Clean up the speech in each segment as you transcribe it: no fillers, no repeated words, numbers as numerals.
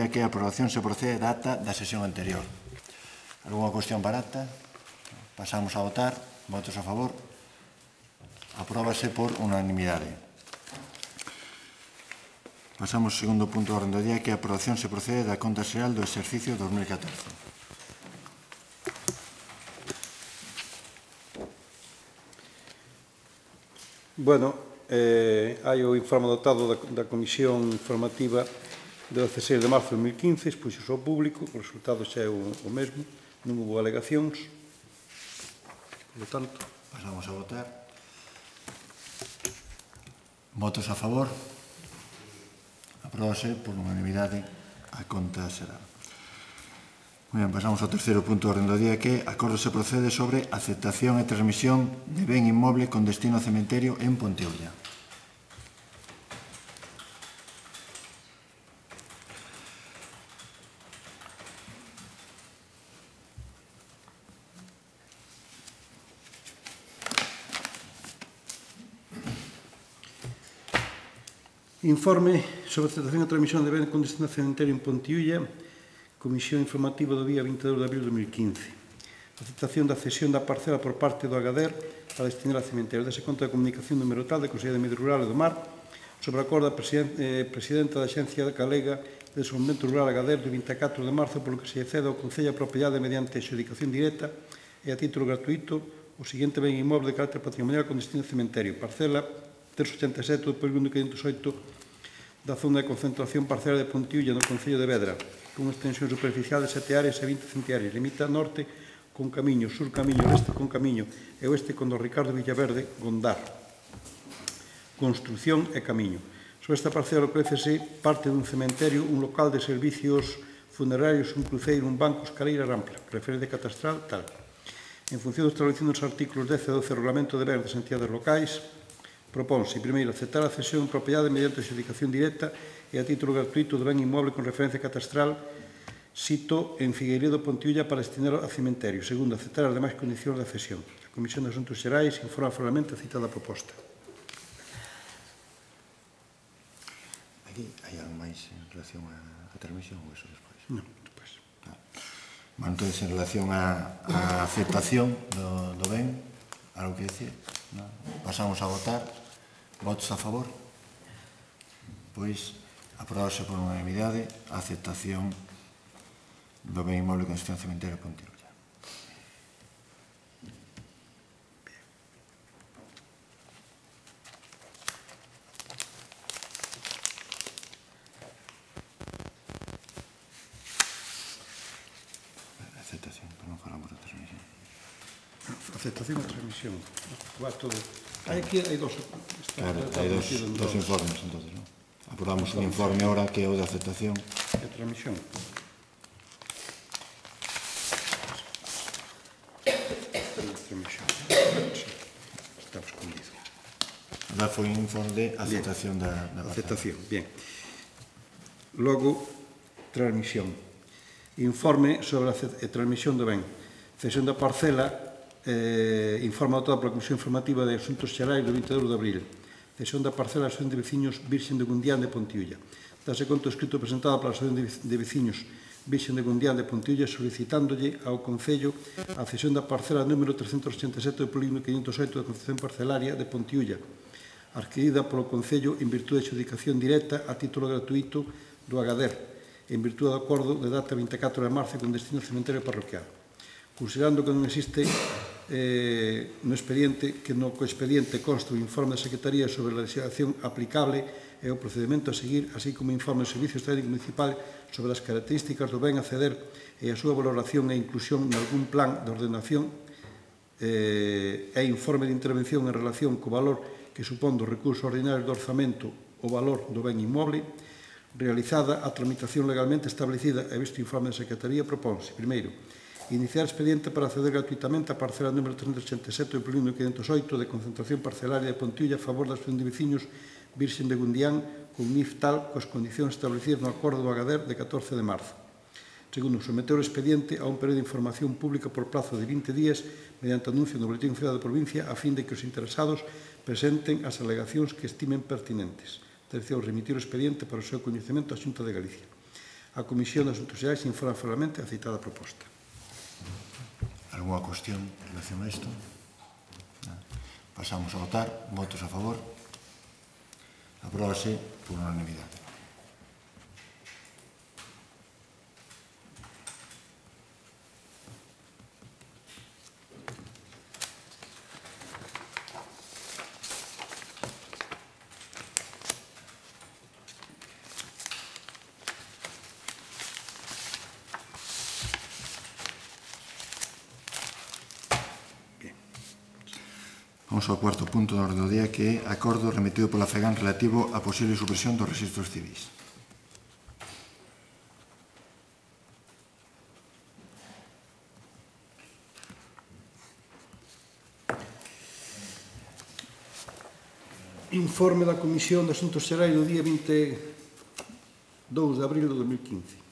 día que a aprobación se procede da acta da sesión anterior. Alguna cuestión para acta? Pasamos a votar. Votos a favor. Apróbase por unanimidade. Pasamos ao segundo punto do orden do día, que a aprobación se procede da conta xeral do exercicio 2014. Bueno, hai o informe adoptado da Comisión Informativa de 16 de marzo de 2015, expuxos ao público, o resultado xa é o mesmo, non houve alegacións. Por lo tanto, pasamos a votar. Votos a favor. Apróbase por unanimidade a conta xeral. Moi ben, pasamos ao terceiro punto do orden do día, que acordo se procede sobre aceptación e transmisión de ben inmoble con destino a cementerio en Ponteúlla. Informe sobre aceptación e transmisión de ben con destino a cementerio en Ponteúlla, Comisión Informativa do día 22 de abril de 2015. Aceptación da cesión da parcela por parte do Agader para destinar a cementerio. Dese conta de comunicación número tal de Consellería de Medio Rural e do Mar sobre o acordo da Presidenta da Axencia Galega de Desenvolvemento Rural Agader do 24 de marzo, polo que se cede ao Concello a propiedade mediante adxudicación directa e a título gratuito o seguinte ben inmoble de carácter patrimonial con destino a cementerio. Parcela 387 do polígono 508 da zona de concentración parcela de Ponteúlla no Concello de Vedra, con extensión superficial de 7 áreas e 20 centiáreas. Limita norte con Camiño, sur Camiño, oeste con Camiño e oeste con do Ricardo Villaverde, Gondar. Construción e Camiño. Sobre esta parcela ofrécese parte dun cementerio, un local de servicios funerarios, un cruceiro, un banco, escaleira ampla, referencia catastral, tal. En función do establecido nos artículos 10 e 12 do Regulamento de Ben das entidades locais, propónse, primeiro, aceptar a cesión en propiedade mediante adxudicación directa e a título gratuito do ben inmoble con referencia catastral sito en Figueiredo, Ponteúlla, para destinar a cementerio. Segundo, aceptar as demais condicións da cesión. A Comisión de Asuntos Xerais informa formalmente a citada proposta. Aquí hai algo máis en relación á transmisión ou eso despois? Non, despois. Bueno, entón, en relación á aceptación do ben, algo que decir? Pasamos a votar. Votos a favor? Pois, aprobase por unanimidade a aceptación do ben inmoble con destino ao cementerio de Ponteúlla. Aceptación, pero non falamos da transmisión. Aceptación e transmisión. Va todo. Aquí hai dos. Claro, hai dos informes, entonces, non? Aprobamos un informe ahora que é o de aceptación. E transmisión. Está escondido. Agora foi un informe de aceptación da aceptación, bien. Logo, transmisión. Informe sobre a transmisión do ben. Cesión da parcela, informa adoptada pola Comisión Informativa de Asuntos Xerais do 22 de abril. Cesión da parcela da Asociación de Veciños Virxen de Gundián de Ponteúlla. Dase conto escrito presentado pola Asociación de Veciños Virxen de Gundián de Ponteúlla solicitándolle ao Concello a cesión da parcela número 387 do polígono 508 da Concepción Parcelaria de Ponteúlla, adquirida polo Concello en virtude de adxudicación directa a título gratuito do Agader, en virtude do acordo de data 24 de marzo con destino ao cementerio parroquial. Considerando que non existe no expediente, que no expediente consta o informe da Secretaría sobre a legislación aplicable e o procedimento a seguir, así como informe do Servicio Técnico Municipal sobre as características do ben a ceder e a súa valoración e inclusión en algún plan de ordenación e informe de intervención en relación co valor que supón do recurso ordinario do orzamento o valor do ben inmoble, realizada a tramitación legalmente establecida e visto o informe da Secretaría, propónse, primeiro, iniciar expediente para acceder gratuitamente a parcela número 387 do polígono 508 de concentración parcelaria de Ponteúlla a favor da Asociación de Veciños Virxen de Gundián con NIF tal coas condicións establecidas no acordo do Agader de 14 de marzo. Segundo, someter o expediente a un período de información pública por plazo de 20 días mediante anuncio no Boletín Oficial da Provincia a fin de que os interesados presenten as alegacións que estimen pertinentes. Terceiro, remitir o expediente para o seu coñecemento á Xunta de Galicia. A Comisión de Asuntos Xerais informa formalmente a citada proposta. Alguna cuestión en relación a isto? Pasamos a votar. Votos a favor. Apróbase por unanimidade. Vamos ao cuarto punto da orde do día, que é acordo remitido pola FEGAN relativo á posible supresión dos registros civis. Informe da Comisión de Asuntos Xerais do día 22 de abril de 2015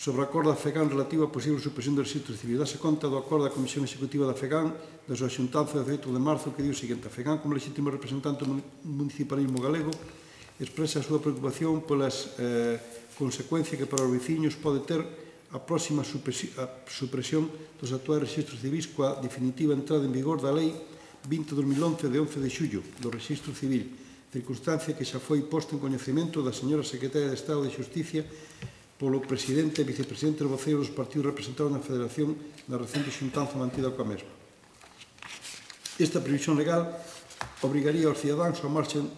sobre o acordo da FEGAN relativo á posible supresión dos registros civis. Dase conta do acordo da Comisión Executiva da FEGAN da súa xuntanza de 18 de marzo, que dio o seguinte: a FEGAN, como legítimo representante do municipalismo galego, expresa a súa preocupación polas consecuencias que para os veciños pode ter a próxima supresión dos actuais registros civis coa definitiva entrada en vigor da Lei 20-2011 de 11 de xullo do Registro Civil, circunstancia que xa foi posta en coñecemento da señora Secretaria de Estado de Xusticia polo presidente e vicepresidente dos voceiros dos partidos representados na Federación na recente xuntanza mantida coa mesma. Esta previsión legal obrigaría aos cidadáns ao marxen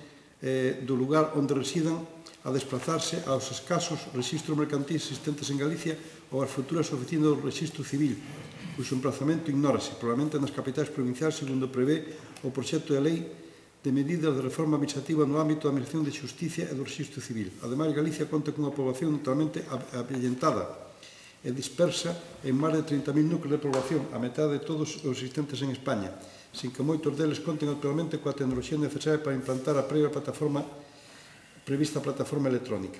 do lugar onde residan a desplazarse aos escasos registros mercantis existentes en Galicia ou ás futuras oficinas do Registro Civil, cuxo emplazamento ignórase, probablemente nas capitais provinciais, segundo prevé o proxecto de lei de medidas de reforma administrativa no ámbito da Administración de Xusticia e do Registro Civil. Ademais, Galicia conta cunha poboación totalmente avellentada e dispersa en máis de 30.000 núcleos de poboación, a metade de todos os existentes en España, sin que moitos deles conten actualmente coa tecnoloxía necesaria para implantar a prevista plataforma electrónica.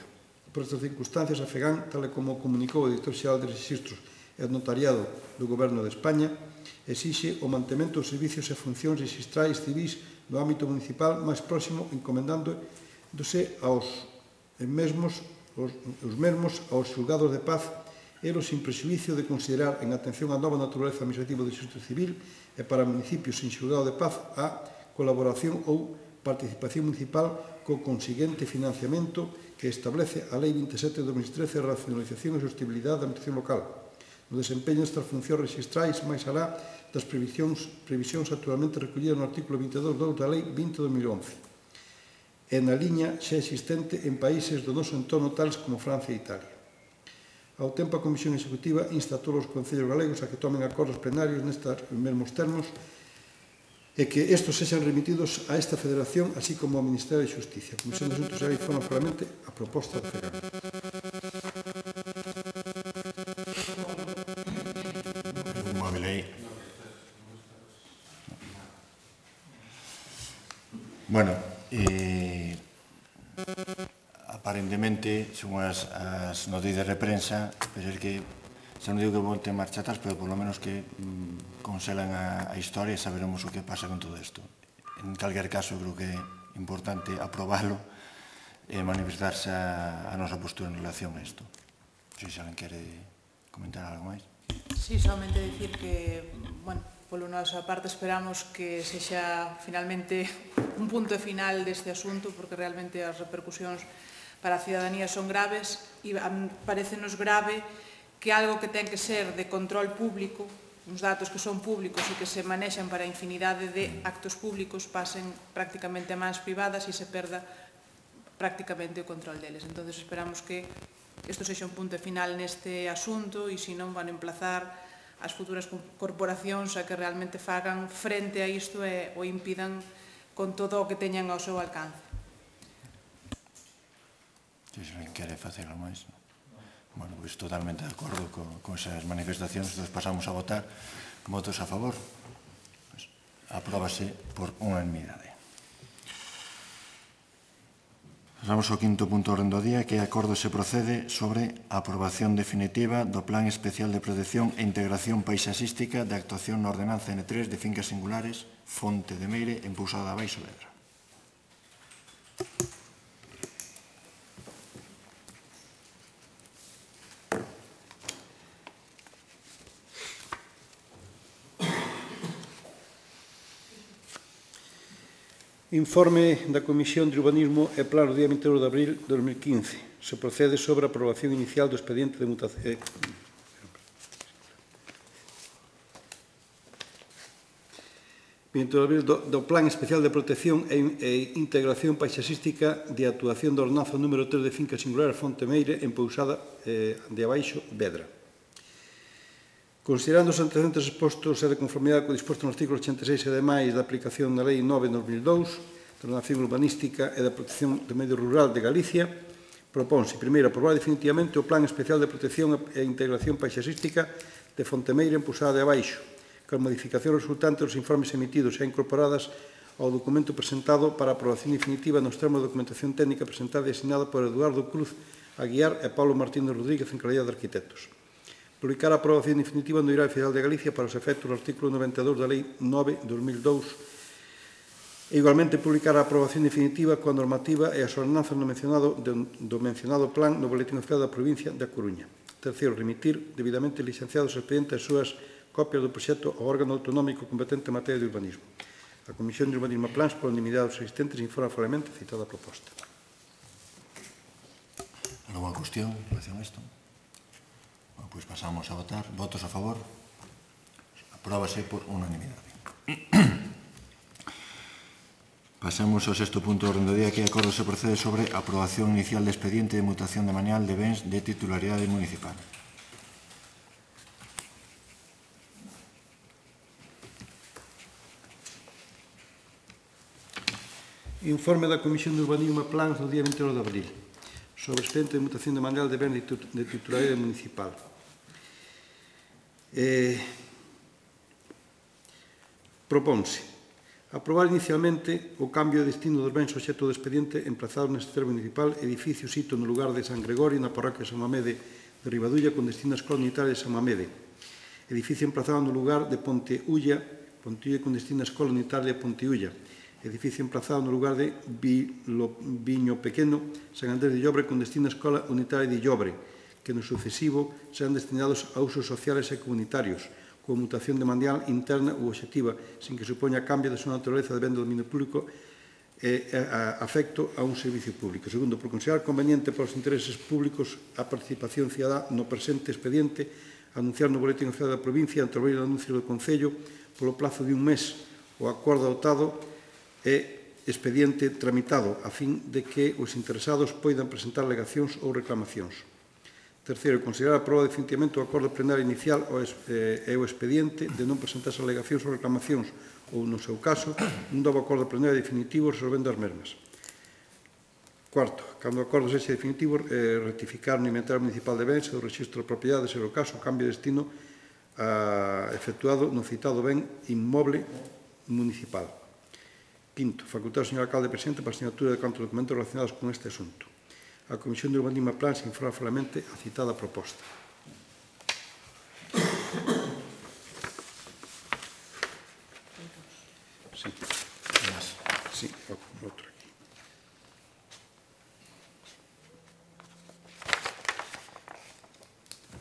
Por estas circunstancias, a FEGAN, tal como comunicou o Director Xeral de Registros e Notariado do Goberno de España, exixe o mantemento dos servicios e funcións registrais civis no ámbito municipal máis próximo, encomendándose os mesmos aos xulgados de paz, ero sin prexuízo de considerar, en atención á nova naturaleza administrativa do registro civil e para municipios sin xulgado de paz, a colaboración ou participación municipal co consiguiente financiamento que establece a Lei 27 de 2013 de racionalización e sostenibilidade da administración local, no desempeño destas funcións registrais máis alá das previsións actualmente recollidas no artículo 22.2 da Lei 20-2011 e na liña xa existente en países do noso entorno tales como Francia e Italia. Ao tempo, a Comisión Executiva insta a todos os concellos galegos a que tomen acordos plenarios nestes mesmos termos e que estos sexan remitidos a esta Federación, así como ao Ministerio de Xusticia. A Comisión de Asuntos Xerais informa formalmente a proposta do FEGAN. Bueno, aparentemente, según as noticias de prensa, parece que, xa non digo que volte marcha atrás, pero por lo menos que conselan a historia e saberemos o que pasa con todo isto. En calquer caso, creo que é importante aprobalo e manifestarse a nosa postura en relación a isto. Se alguén quere comentar algo máis. Sí, solamente dicir que, bueno, polo nosa parte esperamos que sexa finalmente un punto final deste asunto, porque realmente as repercusións para a cidadanía son graves e parecenos grave que algo que ten que ser de control público, uns datos que son públicos e que se manexan para infinidade de actos públicos, pasen prácticamente a mans privadas e se perda prácticamente o control deles. Entón, esperamos que isto sexa un punto final neste asunto e, se non, van a emplazar as futuras corporacións a que realmente fagan frente a isto e o impidan con todo o que teñan ao seu alcance. Se alguén quere facelo máis. Bueno, pois totalmente de acordo con esas manifestacións. Entón, pasamos a votar. Votos a favor. Apróbase por unanimidade. Pasamos ao quinto punto do orden do día, que é acordo se procede sobre a aprobación definitiva do Plan Especial de Protección e Integración Paisaxística de actuación na Ordenanza N3 de fincas singulares Fonte de Meire en Pousada de Baixo Vedra. Informe da Comisión de Urbanismo e Plano do día 22 de abril de 2015. Se procede sobre a aprobación inicial do expediente de mutación. Do Plan Especial de Protección e Integración Paisaxística de Actuación da Ordenanza número 3 de Finca Singular Fontemeire en Pousada de Abaixo, Vedra. Considerando os antecedentes expostos e de conformidade co disposto no artículo 86 e demais da aplicación da Lei 9/2002 da Ordenación Urbanística e da Protección do Medio Rural de Galicia, propónse, primeiro, aprobar definitivamente o Plan Especial de Protección e Integración Paisaxística de Fontemeire en Pousada de Abaixo, con modificacións resultantes dos informes emitidos e incorporadas ao documento presentado para a aprobación definitiva nos termos de documentación técnica presentada e asignada por Eduardo Cruz Aguiar e Paulo Martínez Rodríguez en calidad de arquitectos. Publicar a aprobación definitiva no Diario Oficial de Galicia para os efectos do artículo 92 da Lei 9/2002 e igualmente publicar a aprobación definitiva coa normativa e as ordenanzas do mencionado plan no Boletín Oficial da Provincia da Coruña. Terceiro, remitir debidamente licenciados os expedientes as súas copias do proxecto ao órgano autonómico competente en materia de urbanismo. A Comisión de Urbanismo e Plans, por unanimidade dos asistentes, informa formalmente citada a proposta. ¿Alguna cuestión en relación a esto? Bueno, pues pasamos a votar. ¿Votos a favor? Apróbase por unanimidade. Pasamos ao sexto punto do orden do día, que acordo se procede sobre a aprobación inicial de expediente de mutación de manual de bens de titularidade municipal. Informe da Comisión de Urbanismo e Plans do día 22 de abril sobre o expediente de mutación de manual de bens de titularidade municipal. Propónse aprobar inicialmente o cambio de destino dos bens obxecto do expediente emplazado neste termo municipal, edificio sito no lugar de San Gregorio, na parroquia de San Mamede de Ribadulla, con destino a Escola Unitaria de San Mamede. Edificio emplazado no lugar de Ponteulla con destino a Escola Unitaria de Ponteulla. Edificio emplazado no lugar de Viño Pequeno, San Andrés de Llobre, con destino a Escola Unitaria de Llobre, que no sucesivo serán destinados a usos sociales e comunitarios, con mutación de manual interna ou obxectiva, sin que supoña cambio de súa naturaleza de ben do dominio público e afecto a un servicio público. Segundo, por considerar conveniente para os intereses públicos a participación cidadá no presente expediente, anunciar no Boletín Oficial da Provincia, introducir o anuncio do Concello, polo plazo de un mes, o acordo adoptado e expediente tramitado, a fin de que os interesados poidan presentar alegacións ou reclamacións. Terceiro, considerar aprobar definitivamente o acordo plenario inicial e o expediente de non presentarse alegacións ou reclamacións ou, no seu caso, un novo acordo plenario definitivo resolvendo as mesmas. Cuarto, cando o acordo sexa definitivo, rectificar no inventario municipal de bens e do registro de propiedade, ser o caso, o cambio de destino efectuado no citado ben inmoble municipal. Quinto, facultar ao señor alcalde presente para a asignatura de cantos documentos relacionados con este asunto. A Comisión de Urbanismo e Plans informa formalmente a citada proposta. Sí. Sí, outro aquí.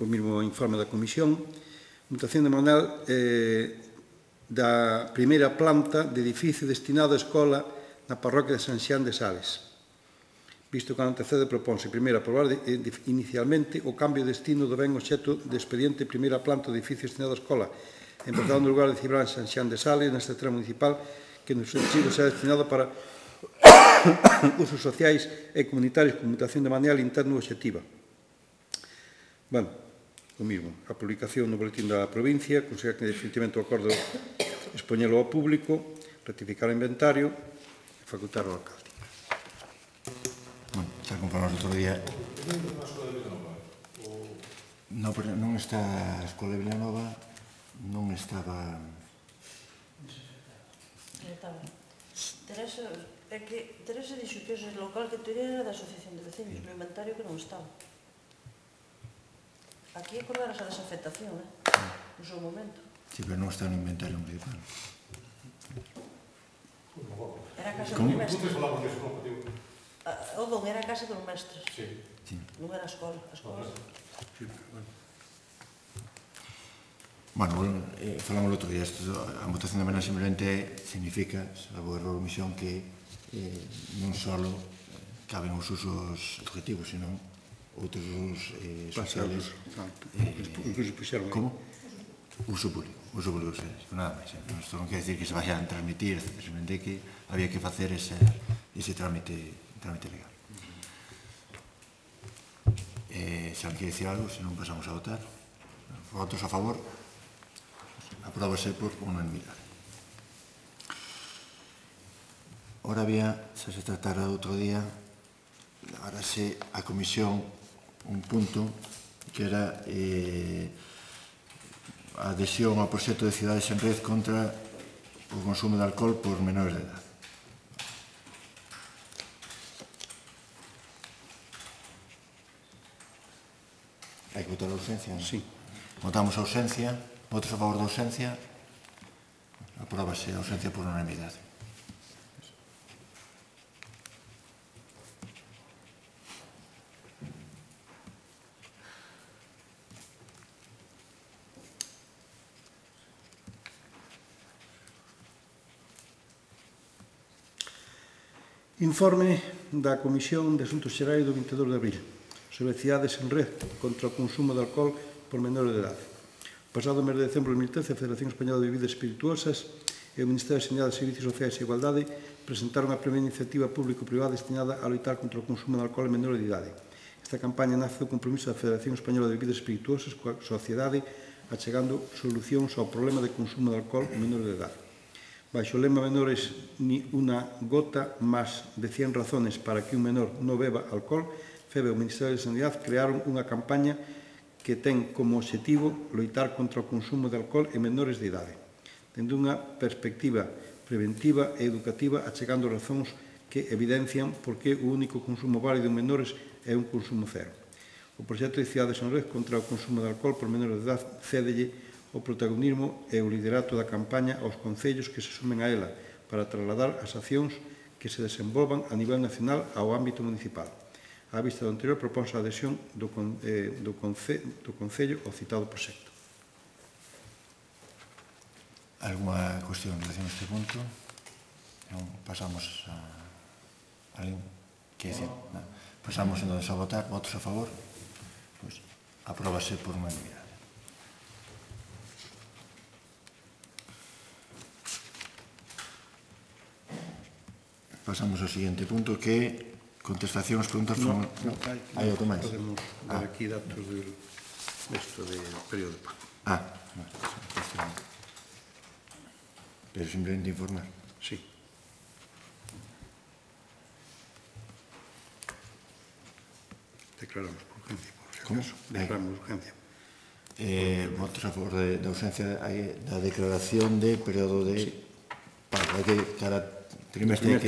O mesmo informe da Comisión. Mutación de manual da primeira planta de edificio destinado á escola na parroquia de San Xián de Sales. Visto que antecede, propónse, primeiro, aprobar inicialmente o cambio de destino do ben obxecto de expediente primeira planta do edificio destinado á escola, empezado no lugar de Cibrán San Xián de Sales, neste tramo municipal, que no sucesivo será destinado para usos sociais e comunitarios con mutación de manual interno obxectiva. Bueno, o mismo, a publicación no boletín da provincia, considerar que definitivamente o acordo expoñelo ao público, rectificar o inventario e facultar ao alcalde. Bueno, xa conformamos outro día. Non está a Escola de Vilanova, non estaba... Teresa dixo que ese local que teria era da Asociación de Vecinos, no inventario que non estaba. Aquí acordarás a desafectación, no seu momento. Sí, pero non está no inventario municipal. Era a casa dos mestres. O don era a casa dos mestres. Non era a escola. Bueno, falamos outro día. A votación de manual simplemente significa, salvo error ou omisión, que non só caben os usos objetivos, senón outros usos sociales. Os puxeron aí. Como? Uso público, nada máis. Isto non quer decir que se vayan a transmitir, simplemente que había que facer ese trámite legal. Se alguén quer dicir algo, se non pasamos a votar. Votos a favor, apróbase por unanimidade. Ora bien, se tratara outro día, darase a comisión un punto que era a adhesión ao proxecto de Cidades en Red contra o consumo de alcohol por menores de edad. Hai que votar a ausencia? Sí. Votamos a ausencia. Votos a favor da ausencia. Apróbase a ausencia por unanimidade. Informe da Comisión de Asuntos Xerais do 22 de abril sobre Cidades en Red contra o consumo de alcohol por menores de edade. Pasado mes de decembro de 2013, a Federación Española de Bebidas Espirituosas e o Ministerio de Sanidade, Servicios Sociais e Igualdade presentaron a primeira iniciativa público-privada destinada a loitar contra o consumo de alcohol en menores de idade. Esta campaña nace do compromiso da Federación Española de Bebidas Espirituosas coa sociedade achegando solucións ao problema de consumo de alcohol en menores de idade. Baixo o lema menores ni unha gota máis de 100 razones para que un menor non beba alcohol, FEBE e o Ministerio de Sanidade crearon unha campaña que ten como objetivo loitar contra o consumo de alcohol en menores de idade, tendo unha perspectiva preventiva e educativa achegando razóns que evidencian por que o único consumo válido en menores é un consumo cero. O proxecto de Cidades en Red contra o consumo de alcohol por menores de idade cédelle o protagonismo e o liderato da campaña aos concellos que se sumen a ela para trasladar as accións que se desenvolvan a nivel nacional ao ámbito municipal. Á vista do anterior, proponse a adhesión do Concello ao citado proxecto. Alguna cuestión en relación a este punto? Pasamos a... Alguén quer dicir? Pasamos entonces a votar. Votos a favor? Pois apróbase por unanimidade. Pasamos ao seguinte punto que é contestación ás preguntas formuladas. Hai outro máis? Podemos dar aquí datos del período de pago. Pero simplemente informar. Sí. Declaramos por urgencia, por si acaso. Declaramos urgencia. Votos a favor da ausencia da declaración de período de pago. Hai que cada trimestre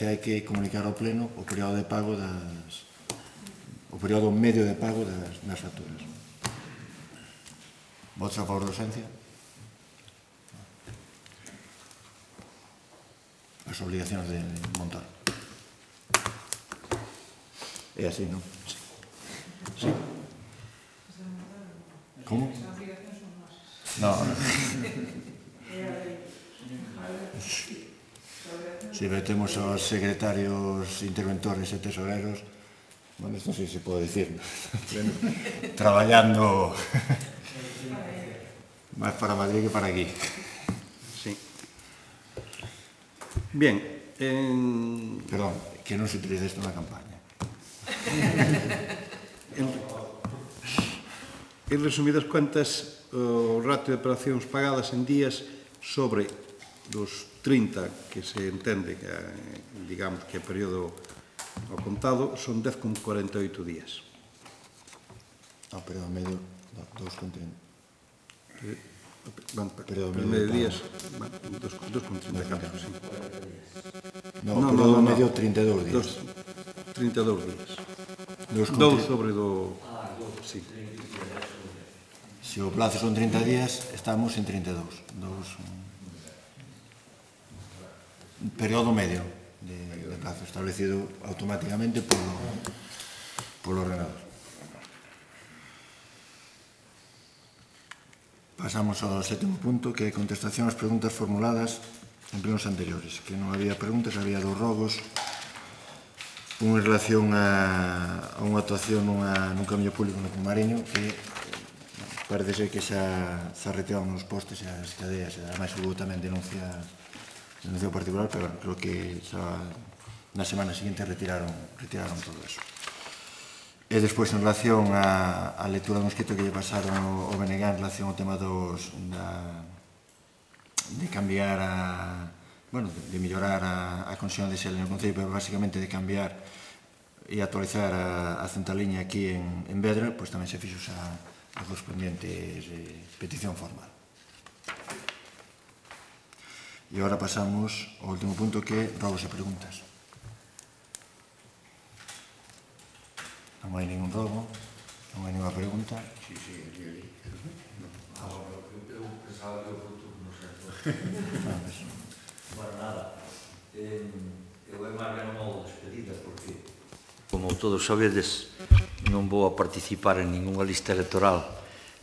hai que comunicar ao pleno o período de pago o período medio de pago das facturas. Votos a favor da ausencia? As obligacións de montar. É así, non? Sí. Como? Non. Si temos os secretarios interventores e tesoreros, bueno, isto sí se pode dicir, traballando máis para Madrid que para aquí. Sí. Bien. Perdón, que non se utilice isto na campaña. En resumidas cuentas, o ratio de operacións pagadas en días sobre dos 30 que se entende que, digamos, que é período ao contado, son 10,48 días. O período medio, 2,30. Período medio de días, 2,34, sí. No, período medio 32 días. 32 días. 2 sobre do... Sí. Se o plazo son 30 días, estamos en 32. Un período medio de plazo establecido automáticamente polo ordenador. Pasamos ao sétimo punto, que é contestación ás preguntas formuladas en plenos anteriores, que non había preguntas, había dos rogos, un en relación a unha actuación nun camiño público no Camariño que parece ser que xa retiraron os postes e as cadeas, e ademais hubo tamén denuncia particular, pero creo que xa na semana seguinte retiraron todo eso. E despois, en relación á lectura dun escrito que lle pasaron ao BNG en relación ao tema de cambiar de mellorar a conexión de xel no Concello, pero basicamente de cambiar e actualizar a centraliña aquí en Vedra, pois tamén se fixo a correspondiente petición formal. E agora pasamos ao último punto, que é rogos e preguntas. Non hai ningún rogo, non hai ninguna pregunta. Sí, ali. Eu pensaba que o futuro non sei. Bueno, nada. Eu é máis ben modo despedida, porque, como todos sabedes, non vou a participar en ninguna lista electoral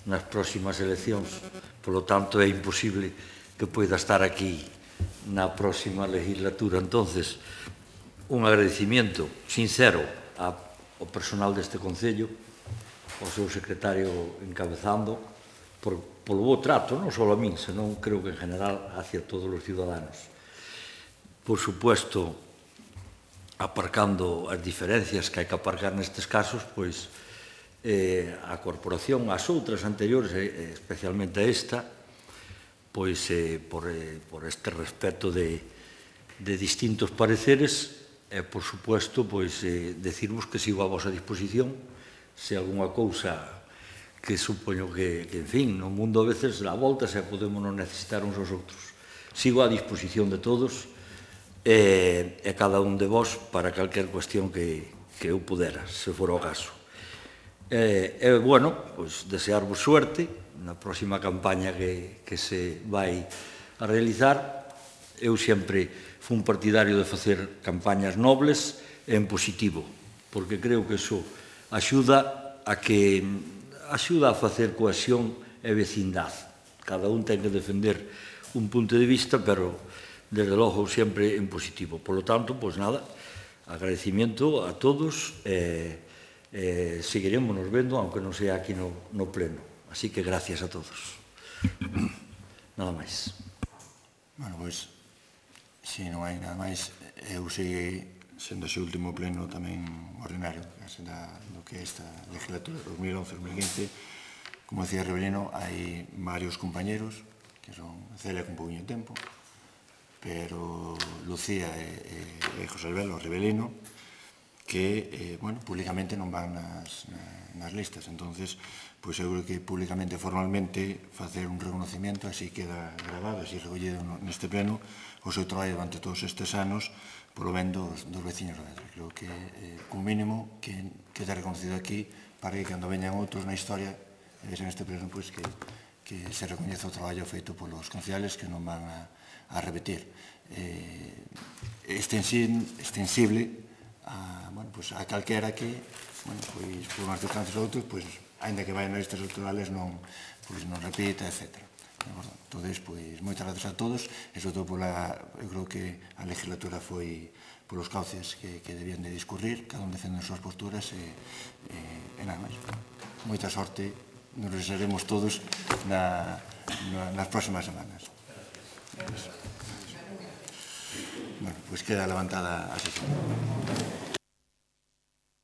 nas próximas eleccións, polo tanto é imposible que poida estar aquí na próxima legislatura. Entonces, un agradecimiento sincero ao personal deste Concello, ao seu secretario encabezando, polo bo trato, non só a min, senón creo que en general hacia todos os ciudadanos. Por supuesto, aparcando as diferencias que hai que aparcar nestes casos, pois a corporación, as outras anteriores, especialmente a esta, pois por este respeto de distintos pareceres, e, por supuesto, pois decirvos que sigo a vosa disposición, se algunha cousa que supoño que, en fin, no mundo a veces dá voltas e podemos non necesitar uns aos outros. Sigo a disposición de todos e cada un de vós para calquer cuestión que eu pudera, se for o caso. E, bueno, pois desearvos suerte na próxima campaña que se vai a realizar. Eu sempre fui un partidario de facer campañas nobles e en positivo, porque creo que iso axuda a facer cohesión e vecindade. Cada un ten que defender un punto de vista, pero, desde logo, sempre en positivo. Por lo tanto, pois nada, agradecimiento a todos e seguiremos nos vendo, aunque non sea aquí no pleno. Así que gracias a todos. Nada máis. Bueno, pois, se non hai nada máis, eu segui sendo ese último pleno tamén ordinario do que é esta legislatura 2011-2015. Como decía Rebelino, hai varios compañeros que son Celia con pouquinho tempo, pero Lucía e José Albelo Rebelino, que, bueno, públicamente non van nas listas. Entonces, pois eu creo que públicamente e formalmente facer un reconocimiento, así queda grabado, así recollido neste pleno, o seu traballo durante todos estes anos polo ben dos veciños de Vedra. Creo que, como mínimo, que queda reconocido aquí para que cando veñan outros na historia, en este pleno, pois que se recoñeza o traballo feito polos concejales que non van a repetir. Extensible a calquera que, pois, por unhas circunstancias ou outros, pois, ainda que vayan nas listas electorales, non repita, etc. Entón, pois, moitas gracias a todos, e sobre todo eu creo que a legislatura foi polos cauces que debían de discurrir, cada un defende as súas posturas, e nada máis. Moita sorte, nos regresaremos todos nas próximas semanas. Bueno, pois queda levantada a sesión.